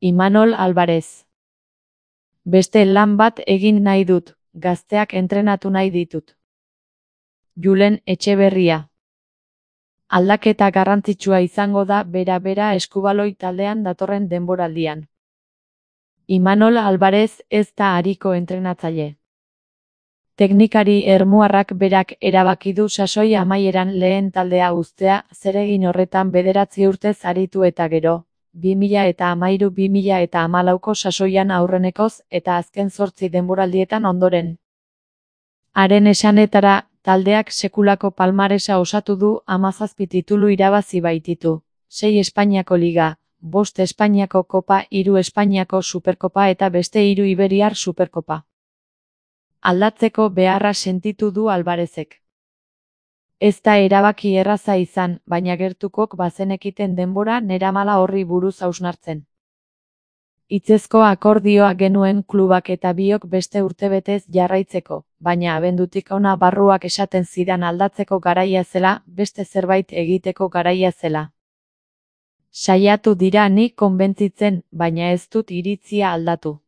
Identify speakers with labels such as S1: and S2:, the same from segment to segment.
S1: Imanol Alvarez. Beste lan bat egin nahi dut, gazteak entrenatu nahi ditut. Julen Etxeberria. Aldaketa garrantzitsua izango da bera eskubaloi taldean datorren denboraldian. Imanol Alvarez ez da ariko entrenatzaile. Teknikari ermuarrak berak erabaki du sasoi amaieran lehen taldea uztea, zeregin horretan 9 urtez aritu eta gero, 2013-2014ko sasoian aurrenekoz eta azken 8 denboraldietan ondoren. Haren esanetara, taldeak sekulako palmaresa osatu du, 17 titulu irabazi baititu, 6 Espainiako Liga, 5 Espainiako Kopa, 3 Espainiako Superkopa eta beste 3 Iberiar Superkopa. Aldatzeko beharra sentitu du Alvarezek. Ez da erabaki erraza izan, baina gertukok bazenekiten denbora neramala horri buruz hausnartzen. Hitzezko akordioa genuen klubak eta biok beste urtebetez jarraitzeko, baina abendutik hona barruak esaten zidan aldatzeko garaia zela, beste zerbait egiteko garaia zela. Saiatu dira ni konbentzitzen, baina ez dut iritzia aldatu.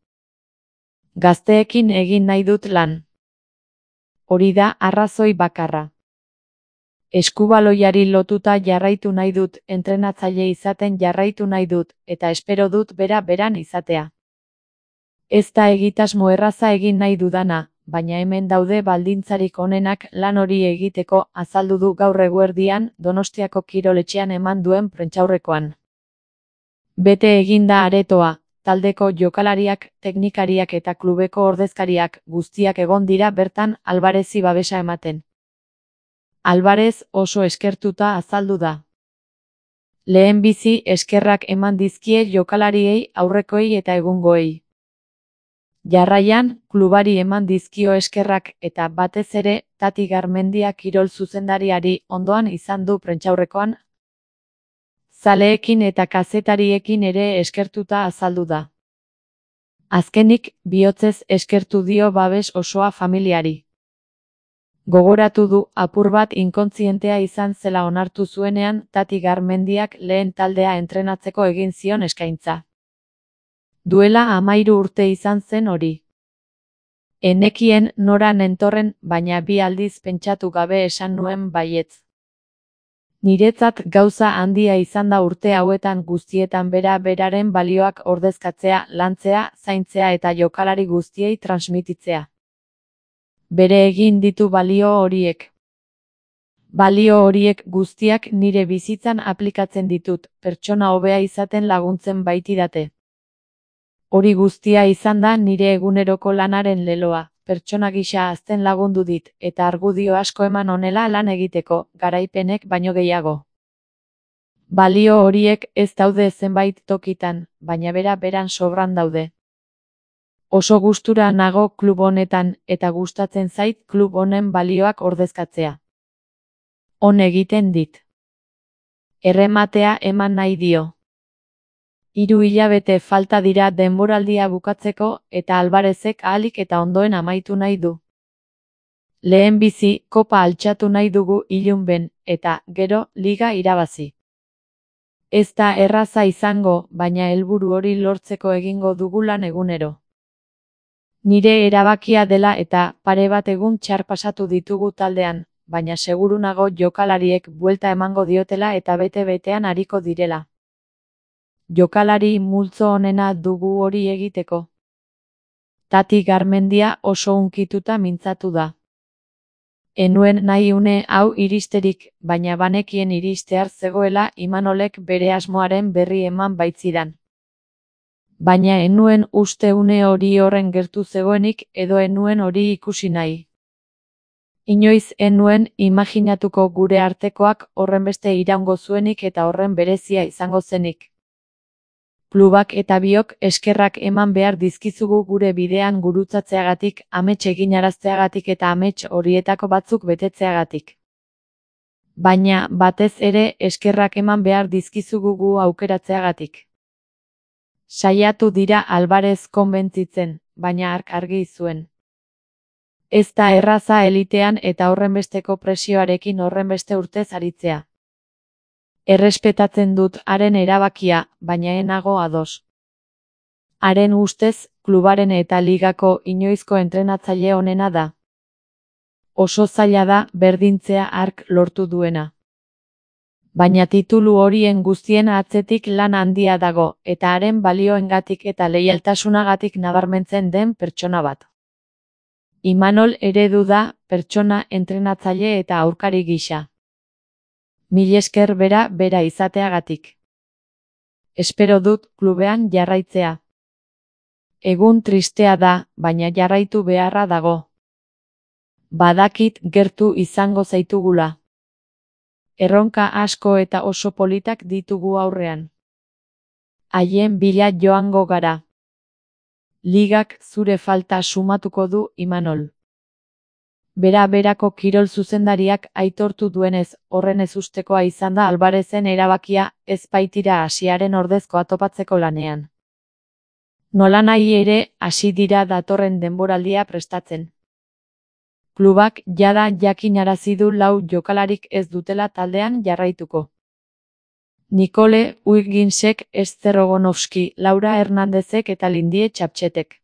S1: Gazteekin egin nahi dut lan. Hori da arrazoi bakarra. Eskubaloiari lotuta jarraitu nahi dut, entrenatzaile izaten jarraitu nahi dut, eta espero dut beran izatea. Ez da egitasmo erraza egin nahi dudana, baina hemen daude baldintzarik onenak lan hori egiteko, azaldu du gaur eguerdian Donostiako kiroletxean eman duen prentsaurrekoan. Bete eginda aretoa, taldeko jokalariak, teknikariak eta klubeko ordezkariak guztiak egon dira bertan Alvarezi babesa ematen. Alvarez oso eskertuta azaldu da. Lehenbizi eskerrak eman dizkie jokalariei, aurrekoei eta egungoei. Jarraian, klubari eman dizkio eskerrak eta batez ere, Tati Garmendia kirol zuzendariari ondoan izan du prentsaurrekoan. Zaleekin eta kazetariekin ere eskertuta azaldu da. Azkenik, bihotzez eskertu dio babes osoa familiari. Gogoratu du apur bat inkontzientea izan zela onartu zuenean Tati Garmendiak lehen taldea entrenatzeko egin zion eskaintza. Duela 13 urte izan zen hori. Enekien nora nentorren, baina 2 aldiz pentsatu gabe esan nuen baietz. Niretzat gauza handia izan da urte hauetan guztietan beraren balioak ordezkatzea, lantzea, zaintzea eta jokalari guztiei transmititzea. Bere egin ditu balio horiek. Balio horiek guztiak nire bizitzan aplikatzen ditut, pertsona hobea izaten laguntzen baitidate. Hori guztia izan da nire eguneroko lanaren leloa, pertsona gisa hazten lagundu dit, eta argudio asko eman honela lan egiteko, garaipenek baino gehiago. Balio horiek ez daude zenbait tokitan, baina beran sobran daude. Oso gustura nago klub honetan, eta gustatzen zait klub honen balioak ordezkatzea. On egiten dit. Errematea eman nahi dio. 3 hilabete falta dira denboraldia bukatzeko, eta Alvarezek ahalik eta ondoen amaitu nahi du. Lehenbizi, kopa altxatu nahi dugu ilunben, eta, gero, liga irabazi. Ez da erraza izango, baina helburu hori lortzeko egingo dugu lan egunero. Nire erabakia dela eta pare bat egun txar pasatu ditugu taldean, baina seguru nago jokalariek buelta emango diotela eta bete-betean ariko direla. Jokalari multzo onena dugu hori egiteko. Tati Garmendia oso hunkituta mintzatu da. Enuen nahi une hau iristerik, baina banekien iristear zegoela Imanolek bere asmoaren berri eman baitzidan. Baina enuen uste une hori horren gertu zegoenik edo enuen hori ikusi nahi. Inoiz enuen imaginatuko gure artekoak horrenbeste iraungo zuenik eta horren berezia izango zenik. Klubak eta biok eskerrak eman behar dizkizugu gure bidean gurutzatzeagatik, amets eginarazteagatik eta amets horietako batzuk betetzeagatik. Baina, batez ere, eskerrak eman behar dizkizugu gu aukeratzeagatik. Saiatu dira Alvarez konbentzitzen, baina hark argi zuen. Ez da erraza elitean eta horrenbesteko presioarekin horrenbeste urtez aritzea. Errespetatzen dut haren erabakia, baina ez nago ados. Haren ustez, klubaren eta ligako inoizko entrenatzaile onena da. Oso zaila da berdintzea hark lortu duena. Baina titulu horien guztien atzetik lan handia dago, eta haren balioengatik eta leialtasunagatik nabarmentzen den pertsona bat. Imanol eredu da, pertsona, entrenatzaile eta aurkari gisa. Mil esker bera izateagatik. Espero dut klubean jarraitzea. Egun tristea da, baina jarraitu beharra dago. Badakit gertu izango zaitugula. Erronka asko eta oso politak ditugu aurrean. Haien bila joango gara. Ligak zure falta sumatuko du, Imanol. Berako kirol zuzendariak aitortu duenez, horren ezustekoa izan da Alvarezen erabakia, ez baitira Asiaren ordezkoa topatzeko lanean. Nolanahi ere, hasi dira datorren denboraldia prestatzen. Klubak jada jakinarazi du 4 jokalarik ez dutela taldean jarraituko. Nicole Wigginsek, Ester Ogonovski, Laura Hernandezek eta Lindie Txaptxetek.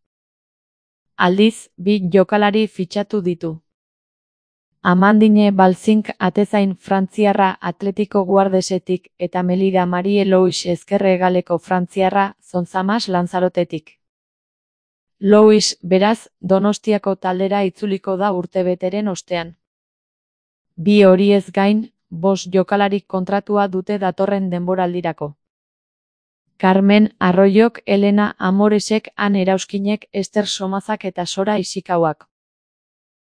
S1: Aldiz, 2 jokalari fitxatu ditu. Amandine Balzink atezain frantziarra Atletico Guardesetik eta Melida Marie Louis ezkerregaleko frantziarra Zonzamas Lanzarotetik. Louis, beraz, Donostiako taldera itzuliko da urtebeteren ostean. 2 horiez gain, 5 jokalarik kontratua dute datorren denboraldirako. Carmen Arroyok, Elena Amoresek, Han Erauskinek, Ester Somazak eta Sora Isikauak.